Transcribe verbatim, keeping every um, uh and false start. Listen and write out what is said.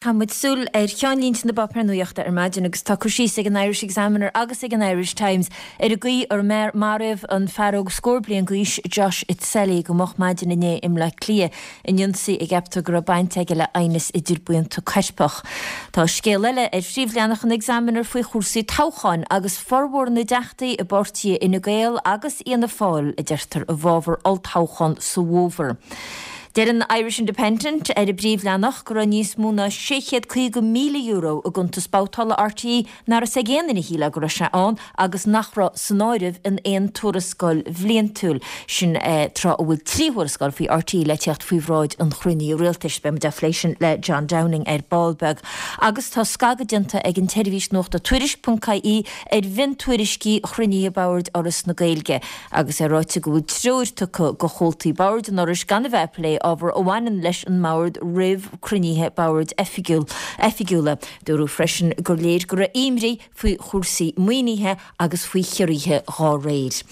Tá muid súil ar cheannlínte na bpáipéar nuachta ar maidin agus tá cur síos ag an Irish Examiner agus ag an Irish Times ar an gcaoi ar maraíodh an fear óg scór bliain d'aois Josh Itzeli go moch maidin inné i mBleá Cliath in ionsaí a gceaptar go raibh baint aige le aighneas idir buíonta coirpeach. Tá scéal eile ar phríomhleathanach an Examiner faoi chúrsaí toghcháin agus formhór na dteachtaí i bpáirtithe Fhine Gael agus Fhianna Fáil a deirtear i bhfabhar olltoghchán sa bhfómhar. Deir an Irish Independent ar a bpríomhleathanach go raibh níos mó ná sé chéad caoga míle euro i gcuntas babhtála RTÉ nach raibh ag aon duine a shíl go raibh sé ann agus nach raibh san áireamh in aon tuarascáil bhliantúil sin tráth a bhfuil trí thuarascáil faoi RTÉ le teacht faoi bhráid an chruinnithe rialtais. Beimid á phlé sin le John Downing ar ball beag. Agus tá scagadh déanta ag an tseirbhís nuachta Tuairisc.ie ar mhiontuairiscí chruinnithe boird Fhoras na Gaeilge agus é ráite go bhfuil treoir tugtha do chomhaltaí boird an Fhorais gan a bheith ag plé ábhar a bhaineann leis an mbord roimh chruinnithe boird oifigiúil oifigiúla. Dúradh freisin gur léir go raibh imní faoi chúrsaí maoinithe agus faoi chiorruithe dá réir.